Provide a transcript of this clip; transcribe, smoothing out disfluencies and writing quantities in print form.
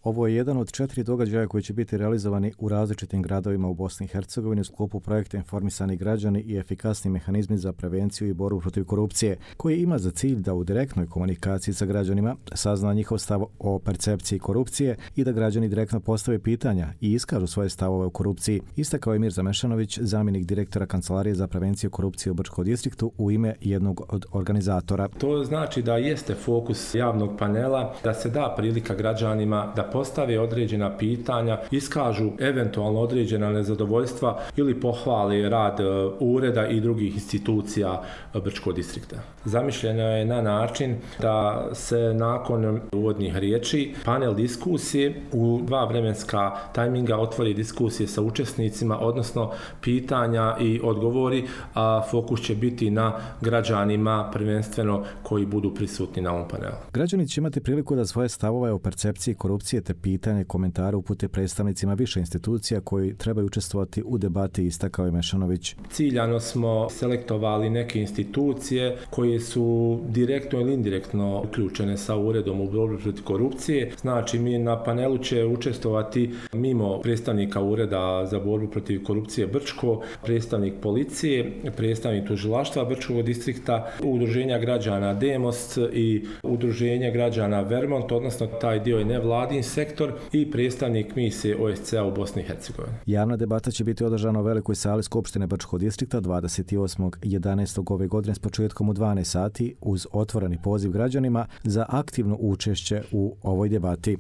Ovo je jedan od 4 događaja koji će biti realizovani u različitim gradovima u Bosni i Hercegovini u sklopu projekta Informisani građani i efikasni mehanizmi za prevenciju i borbu protiv korupcije, koji ima za cilj da u direktnoj komunikaciji sa građanima sazna njihov stav o percepciji korupcije i da građani direktno postave pitanja i iskažu svoje stavove o korupciji, istakao je Mirza Mešanović, zamjenik direktora Kancelarije za prevenciju korupcije u Brčkom distriktu u ime jednog od organizatora. To znači da jeste fokus javnog panela da se da prilika građanima da postave određena pitanja, iskažu eventualno određena nezadovoljstva ili pohvali rad ureda i drugih institucija Brčkog distrikta. Zamišljeno je na način da se nakon uvodnih riječi panel diskusije u 2 vremenska tajminga otvori diskusije sa učesnicima, odnosno pitanja i odgovori, a fokus će biti na građanima prvenstveno koji budu prisutni na ovom panelu. Građani će imati priliku da svoje stavove o percepciji korupcije te pitanje i komentare upute predstavnicima više institucija koji trebaju učestvovati u debati, istakao je Mešanović. Ciljano smo selektovali neke institucije koje su direktno ili indirektno uključene sa uredom u borbi protiv korupcije. Znači, mi na panelu će učestvovati mimo predstavnika ureda za borbu protiv korupcije Brčko, predstavnik policije, predstavnik tužilaštva Brčkog distrikta, udruženja građana Demos i udruženja građana Vermont, odnosno taj dio je nevladin sektor i predstavnik misije OSCE u Bosni i Hercegovini. Javna debata će biti održana u velikoj sali Skupštine Brčkog distrikta 28.11. ove godine s početkom u 12 sati uz otvoreni poziv građanima za aktivno učešće u ovoj debati.